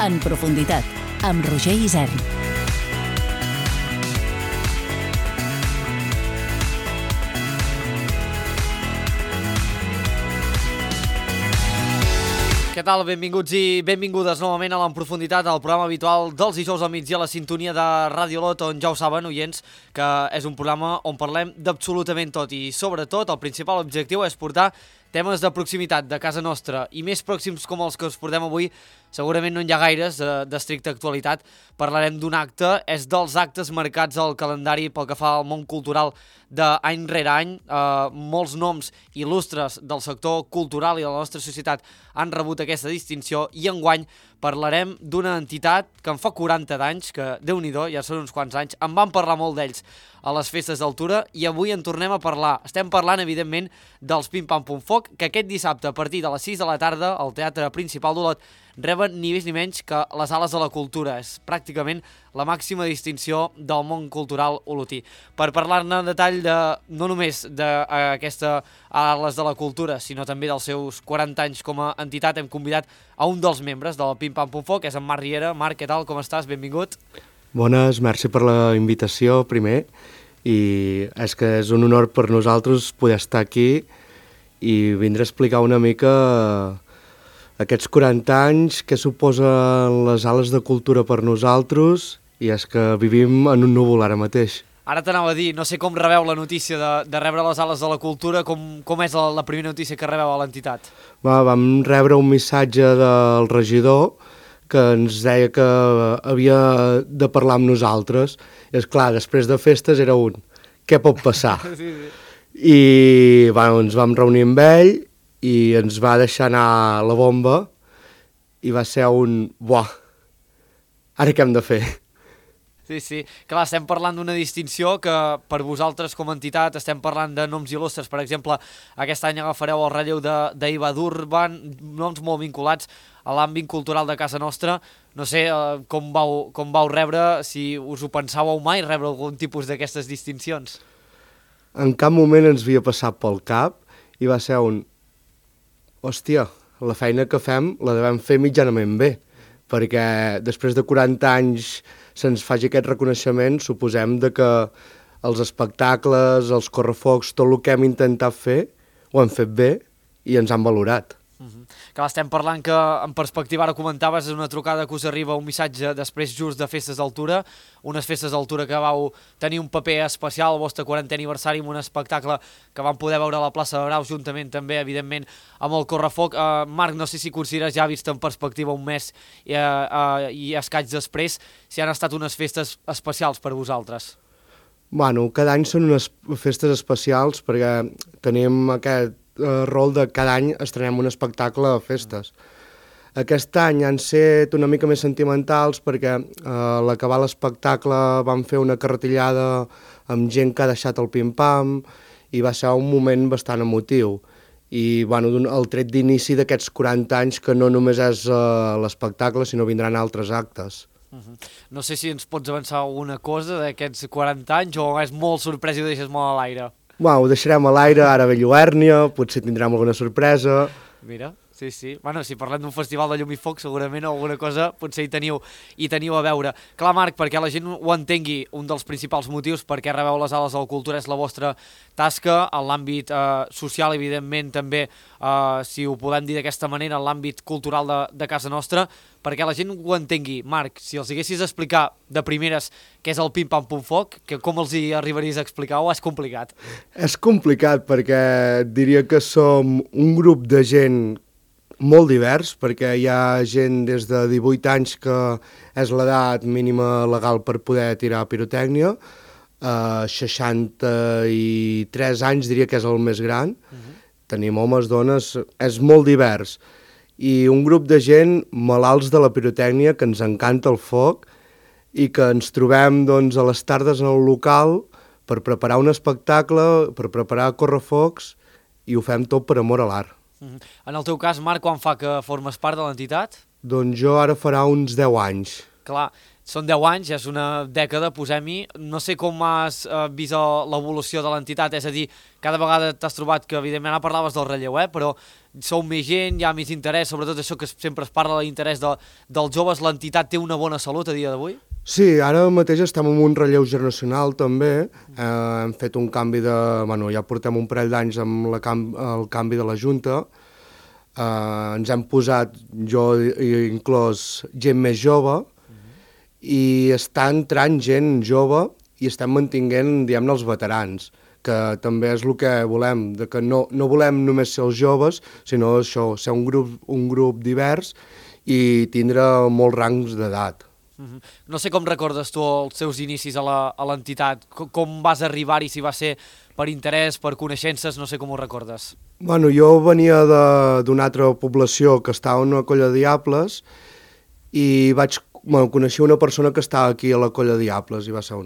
En profunditat, amb Roger Isern. Què tal? Benvinguts i benvingudes novament a l'En Profunditat, el programa habitual dels dijous al migdia a la sintonia de Radio Lot, on ja ho saben, oients, que és un programa on parlem d'absolutament tot i, sobretot, el principal objectiu és portar temes de proximitat de casa nostra i més pròxims com els que us portem avui. Segurament no hi ha gaires d'estricta actualitat. Parlarem d'un acte, és dels actes marcats al calendari pel que fa al món cultural d'any rere any. Molts noms il·lustres del sector cultural i de la nostra societat han rebut aquesta distinció i enguany parlarem d'una entitat que en fa 40 d'anys, que Déu-n'hi-do, ja són uns quants anys, en van parlar molt d'ells a les festes d'altura i avui en tornem a parlar. Estem parlant, evidentment, dels Pim Pam Pum Foc, que aquest dissabte, a partir de les 6 de la tarda, al Teatre Principal d'Olot, reben ni més ni menys que les Ales de la Cultura. És pràcticament la màxima distinció del món cultural olotí. Per parlar-ne en detall no només d'aquesta Ales de la Cultura, sinó també dels seus 40 anys com a entitat, hem convidat a un dels membres del Pim Pam Pum Foc, és en Marc Riera. Marc, què tal? Com estàs? Benvingut. Bones, merci per la invitació, primer, i és que és un honor per nosaltres poder estar aquí i vindre a explicar una mica aquests 40 anys que suposen les Ales de Cultura per nosaltres, i és que vivim en un núvol ara mateix. Ara t'anava a dir, no sé com rebeu la notícia de rebre les Ales de la Cultura, com és la primera notícia que rebeu a l'entitat? Vam rebre un missatge del regidor que ens deia que havia de parlar amb nosaltres. I esclar, després de festes era què pot passar? Sí. I ens vam reunir amb ell i ens va deixar anar la bomba i va ser ara què hem de fer? Sí. Clar, estem parlant d'una distinció que per vosaltres com a entitat estem parlant de noms il·lustres. Per exemple, aquest any agafareu el relleu d'Iva Durban, noms molt vinculats a l'àmbit cultural de casa nostra. No sé com vau rebre, si us ho pensàveu mai, rebre algun tipus d'aquestes distincions. En cap moment ens havia passat pel cap i va ser hòstia, la feina que fem la devem fer mitjanament bé, perquè després de 40 anys se'ns faci aquest reconeixement, suposem que els espectacles, els correfocs, tot el que hem intentat fer, ho hem fet bé i ens han valorat. Clar, estem parlant que, en perspectiva, ara comentaves, és una trucada que us arriba un missatge després just de Festes d'Altura, unes Festes d'Altura que vau tenir un paper especial al vostre 40è aniversari amb un espectacle que vam poder veure a la plaça de Braus, juntament també, evidentment, amb el correfoc. Marc, no sé si consideres ja vist en perspectiva un mes i escaig després, si han estat unes festes especials per vosaltres. Cada any són unes festes especials perquè tenim aquest rol de cada any estrenem un espectacle a festes. Aquest any han set una mica més sentimentals perquè a l'acabar l'espectacle vam fer una carretillada amb gent que ha deixat el pim-pam i va ser un moment bastant emotiu. I el tret d'inici d'aquests 40 anys que no només és l'espectacle sinó vindran altres actes. No sé si ens pots avançar alguna cosa d'aquests 40 anys o és molt sorpresa i ho deixes molt a l'aire. Ho deixarem a l'aire, ara ve Lluèrnia, potser tindrem alguna sorpresa. Mira, sí. Si parlem d'un festival de llum i foc, segurament alguna cosa potser hi teniu a veure. Clar, Marc, perquè la gent ho entengui, un dels principals motius per què rebeu les Ales de la Cultura és la vostra tasca, en l'àmbit social, evidentment, també, si ho podem dir d'aquesta manera, en l'àmbit cultural de casa nostra, perquè la gent ho entengui. Marc, si els haguessis d'explicar de primeres què és el Pim Pam Pum Foc, com els hi arribaries a explicar o és complicat? És complicat perquè diria que som un grup de gent molt divers, perquè hi ha gent des de 18 anys que és l'edat mínima legal per poder tirar pirotècnia, 63 anys diria que és el més gran, tenim homes, dones, és molt divers. I un grup de gent malalts de la pirotècnia, que ens encanta el foc i que ens trobem a les tardes en el local per preparar un espectacle, per preparar correfocs, i ho fem tot per amor a l'art. En el teu cas, Marc, quan fa que formes part de l'entitat? Doncs jo ara farà uns 10 anys. Clar, són 10 anys, és una dècada, posem-hi. No sé com has vist l'evolució de l'entitat, és a dir, cada vegada t'has trobat que, evidentment, ara parlaves del relleu, però sou més gent, hi ha més interès, sobretot això que sempre es parla de l'interès dels joves, l'entitat té una bona salut a dia d'avui? Sí, ara mateix estem en un relleu generacional també, hem fet un canvi de... Bueno, ja portem un parell d'anys amb el canvi de la Junta, ens hem posat, jo inclòs, gent més jove, i està entrant gent jove i estem mantinguent, diguem-ne, els veterans, que també és el que volem, de que no volem només ser els joves, sinó això, ser un grup divers i tindre molts rangs d'edat. No sé com recordes tu els teus inicis a l'entitat, com vas arribar-hi, si va ser per interès, per coneixences, no sé com ho recordes. Bueno, jo venia d'una altra població que estava en una colla de diables i coneixia una persona que estava aquí a la colla de diables i va ser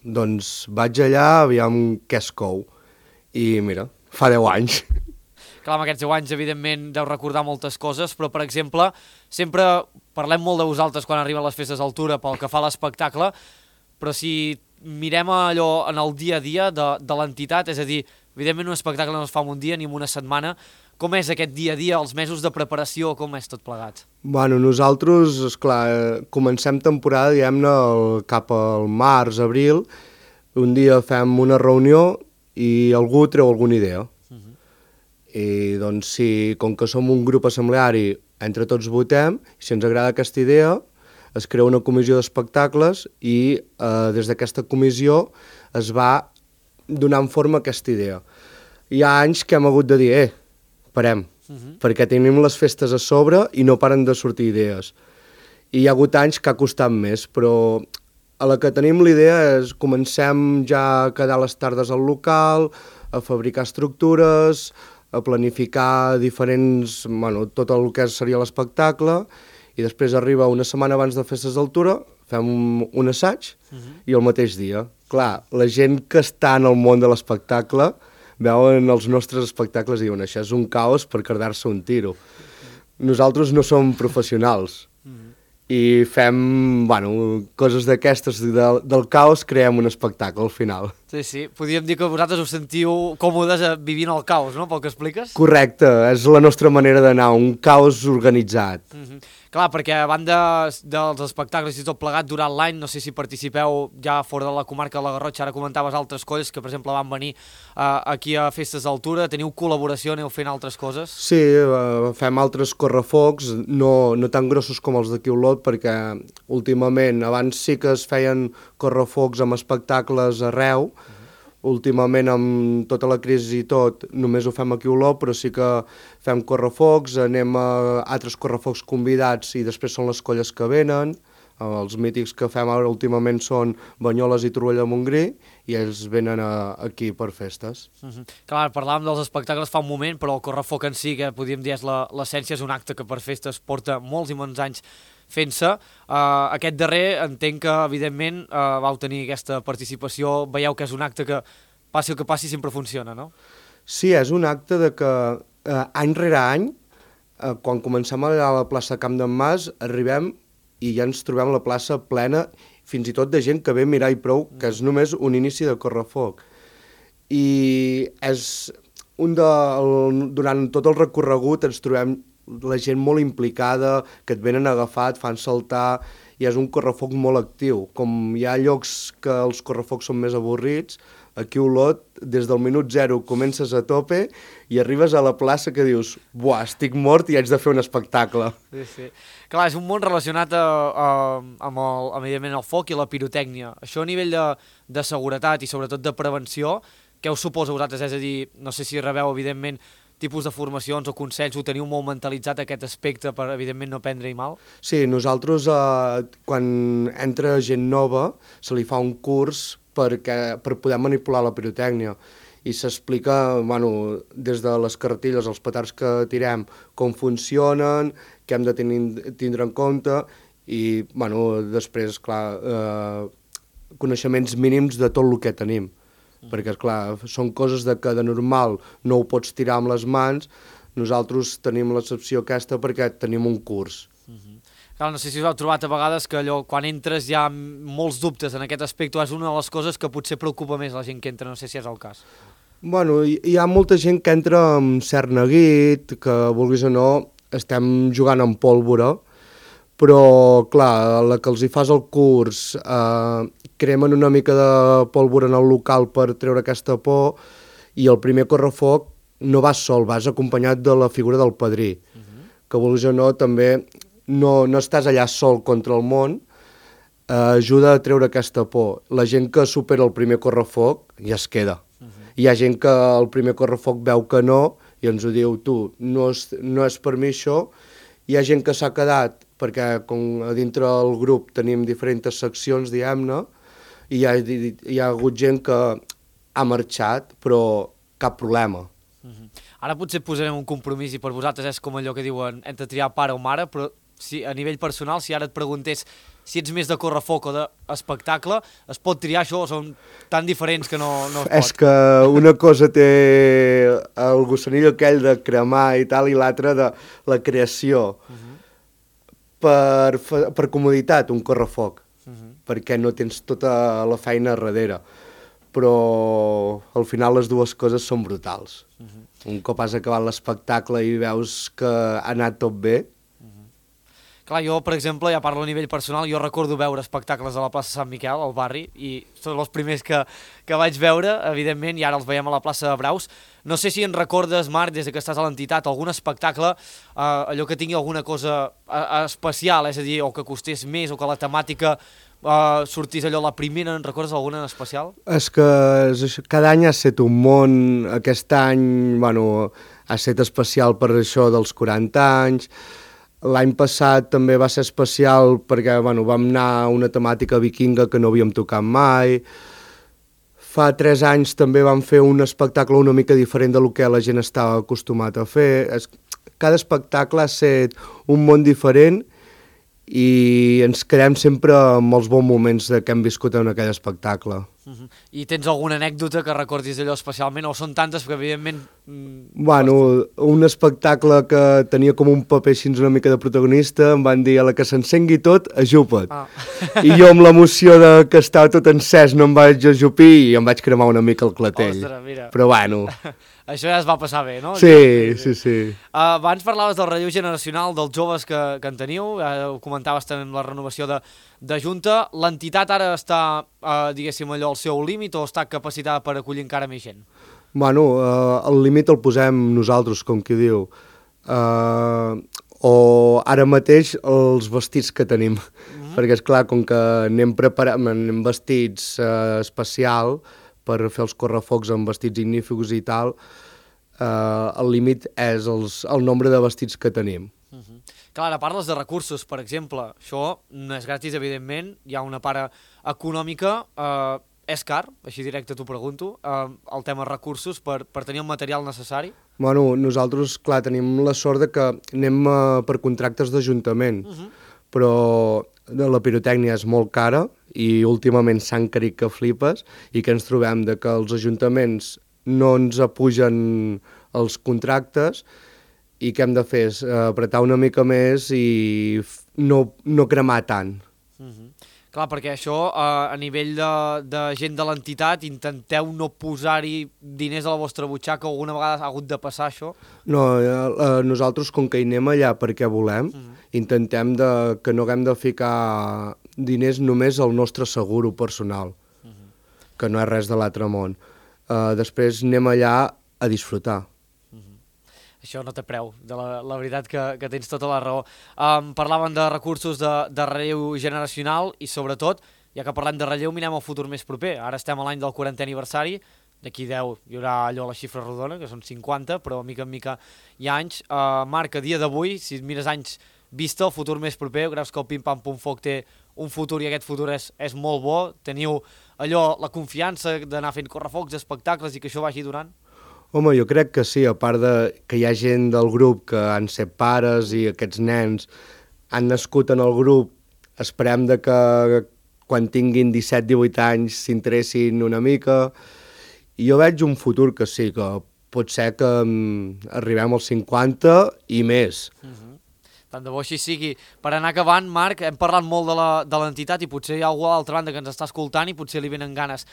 Doncs vaig allà, aviam què es cou. I mira, fa 10 anys. Clar, amb aquests 10 anys, evidentment, deu recordar moltes coses, però, per exemple, sempre parlem molt de vosaltres quan arriben les festes d'altura pel que fa a l'espectacle, però si mirem allò en el dia a dia de l'entitat, és a dir, evidentment un espectacle no es fa en un dia ni en una setmana, com és aquest dia a dia, els mesos de preparació, com és tot plegat? Bueno, nosaltres, esclar, comencem temporada, diguem-ne, cap al març, abril, un dia fem una reunió i algú treu alguna idea. I doncs com que som un grup assembleari, entre tots votem, i si ens agrada aquesta idea, es crea una comissió d'espectacles i des d'aquesta comissió es va donant forma a aquesta idea. Hi ha anys que hem hagut de dir, parem, perquè tenim les festes a sobre i no paren de sortir idees. I hi ha hagut anys que ha costat més, però a la que tenim la idea és comencem ja a quedar les tardes al local, a fabricar estructures, a planificar diferents, tot el que seria l'espectacle, i després arriba una setmana abans de festes d'altura, fem un assaig i el mateix dia. Clar, la gent que està en el món de l'espectacle veuen els nostres espectacles i diuen això és un caos per quedar-se un tiro. Nosaltres no som professionals i fem coses d'aquestes, del caos creem un espectacle al final. Sí, podríem dir que vosaltres us sentiu còmodes vivint el caos, no?, pel que expliques? Correcte, és la nostra manera d'anar, un caos organitzat. Clar, perquè a banda dels espectacles i tot plegat durant l'any, no sé si participeu ja fora de la comarca de la Garrotxa, ara comentaves altres colles que, per exemple, van venir aquí a Festes d'Altura, teniu col·laboració, aneu fent altres coses? Sí, fem altres correfocs, no tan grossos com els d'aquí Olot, perquè últimament, abans sí que es feien correfocs amb espectacles arreu, últimament amb tota la crisi i tot, només ho fem aquí a Olot, però sí que fem correfocs, anem a altres correfocs convidats i després són les colles que venen, els mítics que fem ara últimament són Banyoles i Torroella de Montgrí i ells venen aquí per festes. Clar, parlàvem dels espectacles fa un moment, però el correfoc en si, que podríem dir és l'essència, és un acte que per festes porta molts i molts anys fent-se. Aquest darrer entenc que, evidentment, vau tenir aquesta participació, veieu que és un acte que, passi el que passi, sempre funciona, no? Sí, és un acte de que any rere any, quan comencem a la plaça Camp d'en Mas, arribem i ja ens trobem la plaça plena, fins i tot de gent que ve a mirar i prou, que és només un inici de correfoc. I durant tot el recorregut ens trobem la gent molt implicada, que et venen agafat, fan saltar, i és un correfoc molt actiu. Com hi ha llocs que els correfocs són més avorrits, aquí a Olot, des del minut 0 comences a tope i arribes a la plaça que dius buah, estic mort i haig de fer un espectacle. Sí. Clar, és un món relacionat amb evidentment, el foc i la pirotècnia. Això a nivell de seguretat i sobretot de prevenció, què us suposa a vosaltres? És a dir, no sé si rebeu, evidentment, tipus de formacions o consells, ho teniu molt mentalitzat aquest aspecte per, evidentment, no prendre-hi mal? Sí, nosaltres, quan entra gent nova, se li fa un curs per poder manipular la pirotècnia i s'explica, des de les carretilles, els petards que tirem, com funcionen, què hem de tindre en compte i, després, clar, coneixements mínims de tot el que tenim. Perquè, esclar, són coses que de normal no ho pots tirar amb les mans, nosaltres tenim l'excepció aquesta perquè tenim un curs. Clar, no sé si us heu trobat a vegades que allò, quan entres hi ha molts dubtes en aquest aspecte, és una de les coses que potser preocupa més la gent que entra, no sé si és el cas. Bueno, hi ha molta gent que entra amb cert neguit, que vulguis o no, estem jugant amb pólvora, però, clar, a la que els hi fas el curs, cremen una mica de pólvora en el local per treure aquesta por, i el primer correfoc no vas sol, vas acompanyat de la figura del padrí, que vulguis o no, també no estàs allà sol contra el món, ajuda a treure aquesta por. La gent que supera el primer correfoc ja es queda. Hi ha gent que el primer correfoc veu que no i ens ho diu, tu, no és per mi això. Hi ha gent que s'ha quedat perquè com a dintre del grup tenim diferents seccions, diguem-ne, i hi ha hagut gent que ha marxat, però cap problema. Ara potser posarem un compromís i per vosaltres és com allò que diuen hem de triar pare o mare, però si, a nivell personal, si ara et preguntés si ets més de correfoc o d'espectacle, es pot triar això o són tan diferents que no es pot? És que una cosa té el gossanillo aquell de cremar i tal, i l'altra de la creació. Per comoditat, un correfoc, perquè no tens tota la feina darrere. Però al final les dues coses són brutals. Un cop has acabat l'espectacle i veus que ha anat tot bé. Clar, jo, per exemple, ja parlo a nivell personal, jo recordo veure espectacles a la plaça Sant Miquel, al barri, i són els primers que vaig veure, evidentment, i ara els veiem a la plaça de Braus. No sé si en recordes, Marc, des que estàs a l'entitat, algun espectacle, allò que tingui alguna cosa especial, és a dir, o que costés més, o que la temàtica sortís allò la primera, en recordes alguna en especial? És que cada any ha estat un món, aquest any, bueno, ha estat especial per això dels 40 anys. L'any passat també va ser especial perquè bueno, vam anar a una temàtica vikinga que no havíem tocat mai. Fa 3 anys també vam fer un espectacle una mica diferent del que la gent estava acostumat a fer. Cada espectacle ha estat un món diferent i ens quedem sempre amb els bons moments que hem viscut en aquell espectacle. I tens alguna anècdota que recordis allò especialment, o són tantes que evidentment... Bueno, un espectacle que tenia com un paper així una mica de protagonista, em van dir a la que s'encengui tot, ajupa't. I jo amb l'emoció de que estava tot encès no em vaig ajupir i em vaig cremar una mica el clatell. Ostres, mira. Però bueno... Això ja es va passar bé, no? Sí. Abans parlaves del relleu generacional dels joves que en teniu, ho comentaves també amb la renovació de Junta. L'entitat ara està, diguéssim, allò al seu límit o està capacitada per acollir encara més gent? Bueno, el límit el posem nosaltres, com qui diu. O ara mateix els vestits que tenim. Perquè, esclar, com que anem vestits especial per fer els correfocs amb vestits ignífugs i tal, el límit és el nombre de vestits que tenim. Clar, ara parles de recursos, per exemple. Això no és gratis, evidentment, hi ha una part econòmica, és car, així directe t'ho pregunto, el tema recursos per tenir el material necessari? Bueno, nosaltres, clar, tenim la sort de que anem per contractes d'Ajuntament, però la pirotècnia és molt cara i últimament s'ha encarit que flipes i que ens trobem de que els ajuntaments no ens apugen els contractes i què hem de fer és apretar una mica més i no cremar tant. Clar, perquè això, a nivell de gent de l'entitat, intenteu no posar-hi diners a la vostra butxaca, o alguna vegada ha hagut de passar això? No, nosaltres, com que hi anem allà perquè volem, intentem que no haguem de ficar diners només al nostre seguro personal, que no és res de l'altre món. Després anem allà a disfrutar. Això no té preu, la veritat que tens tota la raó. Parlaven de recursos de relleu generacional i sobretot, ja que parlem de relleu, mirem el futur més proper. Ara estem a l'any del 40è aniversari, d'aquí 10 hi haurà allò la xifra rodona, que són 50, però mica en mica hi ha anys. Marc, a dia d'avui, si mires anys vista, el futur més proper, creus que el Pim Pam Pum Foc té un futur i aquest futur és molt bo? Teniu allò, la confiança d'anar fent correfocs, espectacles i que això vagi durant? Home, jo crec que sí, a part de que hi ha gent del grup que han set pares i aquests nens han nascut en el grup, esperem de que quan tinguin 17-18 anys s'interessin una mica. I jo veig un futur que sí, que pot ser que arribem als 50 i més. Tant de bo així sigui. Per anar acabant, Marc, hem parlat molt de l'entitat i potser hi ha algú a l'altra banda que ens està escoltant i potser li venen ganes.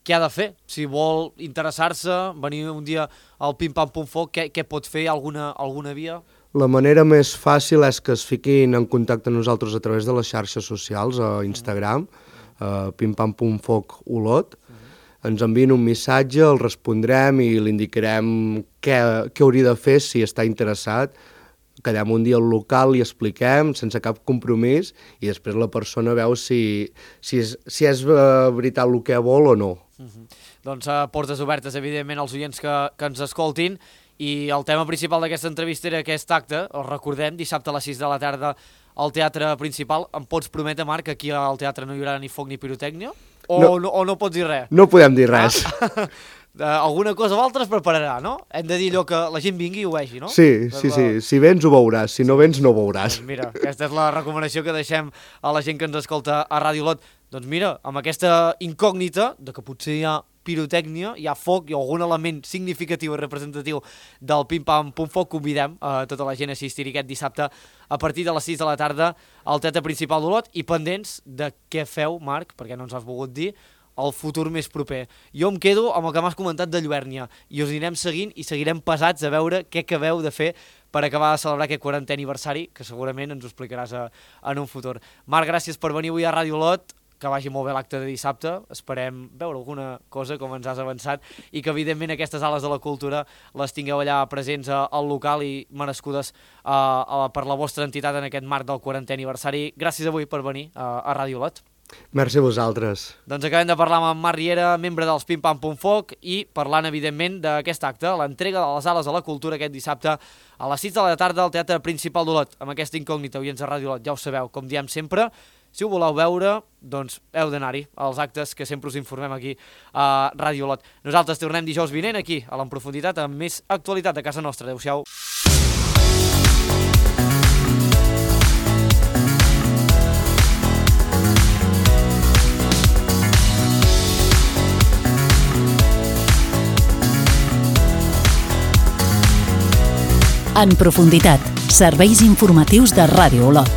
Què ha de fer? Si vol interessar-se, venir un dia al Pim Pam Pum Foc, què pot fer? Alguna via? La manera més fàcil és que es fiquin en contacte amb nosaltres a través de les xarxes socials, a Instagram, Pim Pam Pum Foc Olot. Ens envien un missatge, el respondrem i li indicarem què hauria de fer si està interessat. Quedem un dia al local, li expliquem sense cap compromís i després la persona veu si és veritat el que vol o no. Doncs portes obertes, evidentment, als oients que ens escoltin. I el tema principal d'aquesta entrevista era aquest acte, el recordem, dissabte a les 6 de la tarda al Teatre Principal. Em pots prometre, Marc, que aquí al teatre no hi haurà ni foc ni pirotècnia? O no pots dir res? No podem dir res. Alguna cosa o altra es prepararà, no? Hem de dir allò que la gent vingui i ho vegi, no? Sí. Si vens ho veuràs, si no vens no ho veuràs. Doncs mira, aquesta és la recomanació que deixem a la gent que ens escolta a Ràdio Olot. Doncs mira, amb aquesta incògnita de que potser hi ha pirotècnia, hi ha foc i algun element significatiu i representatiu del Pim Pam Pum Foc, convidem a tota la gent a assistir aquest dissabte a partir de les 6 de la tarda al Teatre Principal d'Olot i pendents de què feu, Marc, perquè no ens has volgut dir, el futur més proper. Jo em quedo amb el que m'has comentat de Lluèrnia i us anirem seguint i seguirem pesats a veure què acabeu de fer per acabar de celebrar aquest 40è aniversari, que segurament ens ho explicaràs en un futur. Marc, gràcies per venir avui a Ràdio Olot, que vagi molt bé l'acte de dissabte, esperem veure alguna cosa com ens has avançat i que evidentment aquestes ales de la cultura les tingueu allà presents al local i merescudes per la vostra entitat en aquest marc del 40è aniversari. Gràcies avui per venir a Ràdio Olot. Merci a vosaltres. Doncs acabem de parlar amb en Marc Riera, membre dels Pim Pam Pum Foc, i parlant evidentment d'aquest acte, l'entrega de les ales de la cultura aquest dissabte a les 6 de la tarda al Teatre Principal d'Olot, amb aquesta incògnita, oients de Ràdio Olot, ja ho sabeu, com diem sempre. Si ho voleu veure, doncs heu d'anar-hi als actes que sempre us informem aquí a Ràdio Olot. Nosaltres tornem dijous vinent aquí, a l'En Profunditat, amb més actualitat de casa nostra. Adéu-siau. En Profunditat, serveis informatius de Ràdio Olot.